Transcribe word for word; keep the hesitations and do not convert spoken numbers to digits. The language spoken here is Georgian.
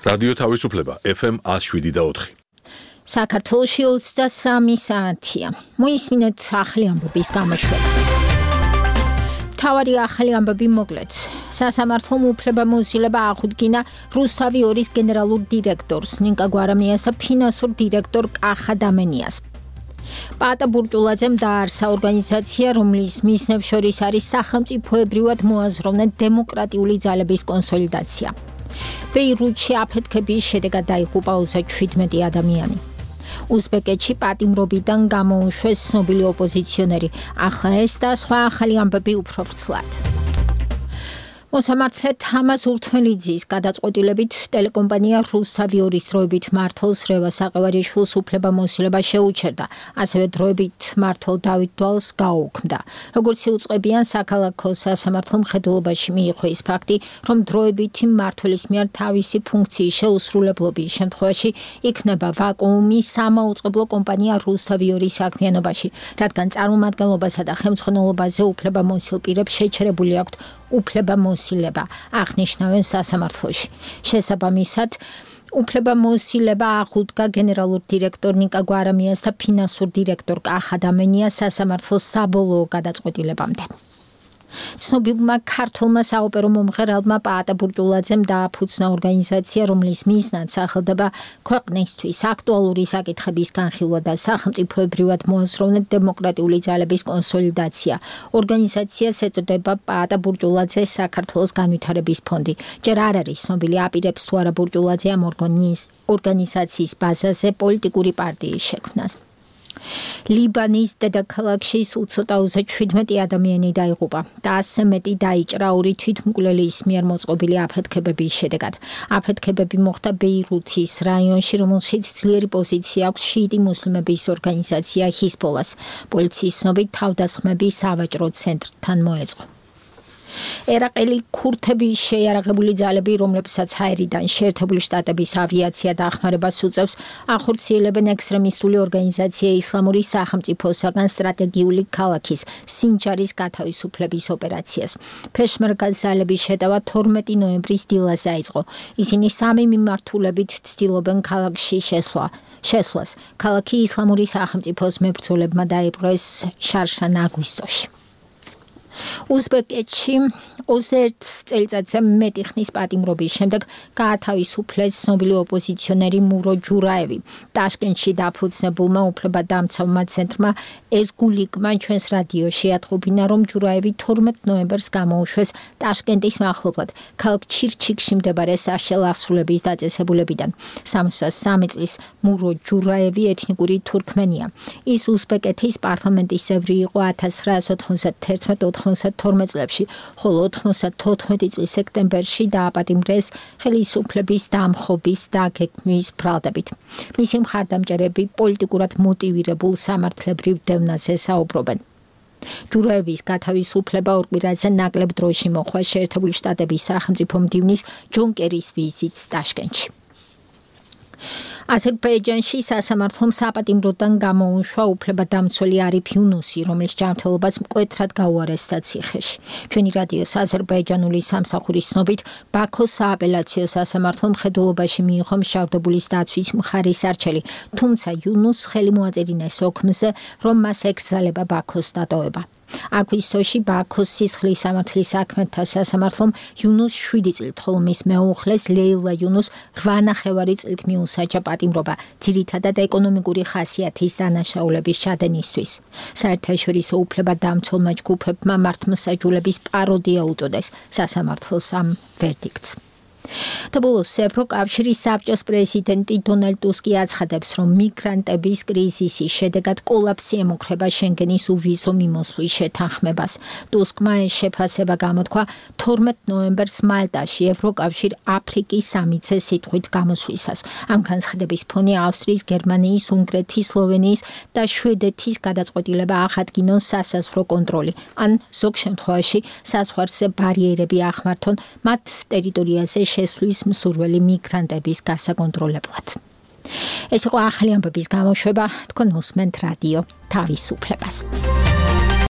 რადიო თავისუფლება ეფ ემ one oh seven და four. საქართველოში ოცდასამი საათია. მოისმინეთ ახალი ამბების გამოშვება. თავარი ახალი ამბები მოკლედ. სასამართლომ უფლებამოსილება აღუდგინა რუსთავი ორის გენერალურ დირექტორს ნინკა გვარამიასა ფინანსურ დირექტორ კახა დამენიას. პაატა ბურჭულაძემ დაარსა ორგანიზაცია, რომლის მიზნებს შორის არის სახელმწიფოებრივად მოაზროვნე დემოკრატიული ძალების კონსოლიდაცია. ბეირუთში აფეთქების შედეგად დაიღუპა ოცდაშვიდმეტი ადამიანი. უზბეკეთში პატიმრობიდან გამოუშვეს ცნობილი ოპოზიციონერი. ახლა ეს და სხვა ახალი ამბები უფრო ვრცლად. მოსამართლე თამაზ ურთმელიძის გადაწყვეტილებით ტელეკომპანია რუსთავი ორის დროებით მმართველს რევას საყევარიშვილს უფლებამოსილება შეუჩერდა, ასევე დროებით მმართველ დავით დვალს გაუქმდა. როგორც იუწყებიან საქალაქო სასამართლო მხედველობაში მიიღო ის ფაქტი, რომ დროებითი მმართველის მიერ თავისი ფუნქციის შეუსრულებლობის შემთხვევაში იქნება ვაკუუმი სამაუწყებლო კომპანია რუსთავი ორის საქმიანობაში, რადგან წარმომადგენლობასა და ხელმძღვანელობაზე უფლებამოსილ პირებს შეჩერებული აქვთ უფლებამოსილება, აღნიშნავენ სასამართლოში. შესაბამისად, უფლებამოსილება აღუდგა გენერალურ დირექტორ ნიკა გვარამიას და ფინანსურ დირექტორ კახა დამენიას სასამართლოს საბოლოო გადაწყვეტილებამდე. ცნობილმა ქართველმა საოპერო მომღერალმა პაატა ბურჭულაძემ დააფუძნა ორგანიზაცია, რომლის მიზნად სახელდება ქვეყნისთვის აქტუალური საკითხების განხილვა და სახელმწიფოებრივად მოაზროვნე დემოკრატიული ძალების კონსოლიდაცია. ორგანიზაციას ეწოდება პაატა ბურჭულაძეს საქართველოს განვითარების ფონდი. ჯერ არ არის ცნობილი აპირებს თუ არა ბურჭულაძე ამ ორგანიზაციის ბაზაზე პოლიტიკური პარტიის შექმნას. ლიბანის დედაქალაქში სულ ცოტა ოცდაშვიდმეტი ადამიანი დაიღუპა და ასზე მეტი დაიჭრა ორი თვითმკვლელის მიერ მოწყობილი აფეთქებების შედეგად. აფეთქებები მოხდა ბეირუთის რაიონში, რომელშიც ძლიერი პოზიცია აქვს შიიტი მუსლიმების ორგანიზაცია ჰიზბოლას. პოლიციის ცნობით თავდასხმები სავაჭრო ცენტრთან მოეწყო. ერაყელი ქურთების შეიარაღებული ძალები, რომლებსაც ჰაერიდან შეერთებული შტატების ავიაცია დახმარებას უწევს, ახორციელებენ ექსტრემისტული ორგანიზაცია ისლამური სახელმწიფოსაგან სტრატეგიული ქალაქის სინჯარის გათავისუფლების ოპერაციას. ფეშმერგას ძალების შეტევა თორმეტი ნოემბრის დილას დაიწყო. ისინი სამი მიმართულებით ცდილობენ ქალაქში შესვლა. შესვლას. ქალაქი ისლამური სახელმწიფოს მებრძოლებმა დაიპყრეს შარშან აგვისტოში. უზბეკეთში ოცდაერთი წელიწადზე მეტი ხნის პატიმრობის შემდეგ გაათავისუფლეს ცნობილი ოპოზიციონერი მურო ჯურაევი. ტაშკენტში დაფუძნებულმა უფლებადამცავმა ცენტრმა ეზგულიკმა ჩვენს რადიოში ათყობინა, რომ ჯურაევი თორმეტ ნოემბერს გამოუშვეს ტაშკენტის მახლობლად, ქალაქ ჩირჩიკში მდებარე საშელ აღსრულების დაწესებულებიდან. სამოცდასამი წლის მურო ჯურაევი ეთნიკური თურქმენია. ის უზბეკეთის პარლამენტის წევრი იყო ათას ცხრაასა ოთხმოცდათერთმეტ ოთხმოცდათორმეტ წლებში, ხოლო ოთხმოცდათოთხმეტი წლის სექტემბერში დააპატიმრეს ხელისუფლების დამხობის და გეგმის ბრალდებით. მისი მხარდამჭერები პოლიტიკურად მოტივირებულ სამართლებრივ დევნაზე საუბრობენ. ჯურაევის გათავისუფლება ორ კვირაზე ნაკლებ დროში მოხდა შეერთებული შტატების სახელმწიფო მდივნის ჯონ კერის ვიზიტს ტაშკენტში. აზერბაიჯანში სასამართლომ საპატიმროდან გამოუშვა უფლებადამცველი არიფ იუნუსი, რომლის ჯანმრთელობაც მკვეთრად გაუარესდა ციხეში. ჩვენი რადიოს აზერბაიჯანული სამსახურის ცნობით, ბაქოს სააპელაციო სასამართლომ მხედველობაში მიიღო მშავდებულის დაცვის მხარის არჩევი, თუმცა იუნუსს ხელი მოაწერინა ოქმზე, რომ მას ეკრძალება ბაქოს დატოვება. აგვისტოში ბაქოს სისხლის სამართლის საქმეთა სასამართლომ იუნუსს შვიდი წლით, ხოლო მის მეუღლეს ლეილა იუნუსს რვა ნახევარი წლით მიუსაჯა პატიმრობა, ძირითადად ეკონომიკური ხასიათის დანაშაულების ჩადენისთვის. საერთაშორისო უფლებადამცველმა ჯგუფებმა მართლმსაჯულების პაროდია უწოდეს სასამართლოს ამ ვერდიქტს. და ბოლოს ევროკავშირის საბჭოს პრეზიდენტი დონალდ ტუსკი აცხადებს, რომ მიგრანტების კრიზისის შედეგად კოლაფსი ემუქრება შენგენის უვიზო მიმოსვლის შეთანხმებას. ტუსკმა ეს შეფასება გამოთქვა თორმეტ ნოემბერს მალტაში ევროკავშირ აფრიკის სამიტზე სიტყვით გამოსვლისას. ამ განცხადების ფონი ავსტრიის, გერმანიის, უნგრეთის, სლოვენიის და შვედეთის გადაწყვეტილება აღადგინონ სასაზღვრო კონტროლი, ან ზოგ შემთხვევაში საზღვარზე ბარიერები ახმართონ მათ ტერიტორიაზე შესვლის მსურველი მიგრანტების გასაკონტროლებლად. ეს იყო ახალი ამბების გამოშვება, თქვენ უსმენთ რადიო თავისუფლებას.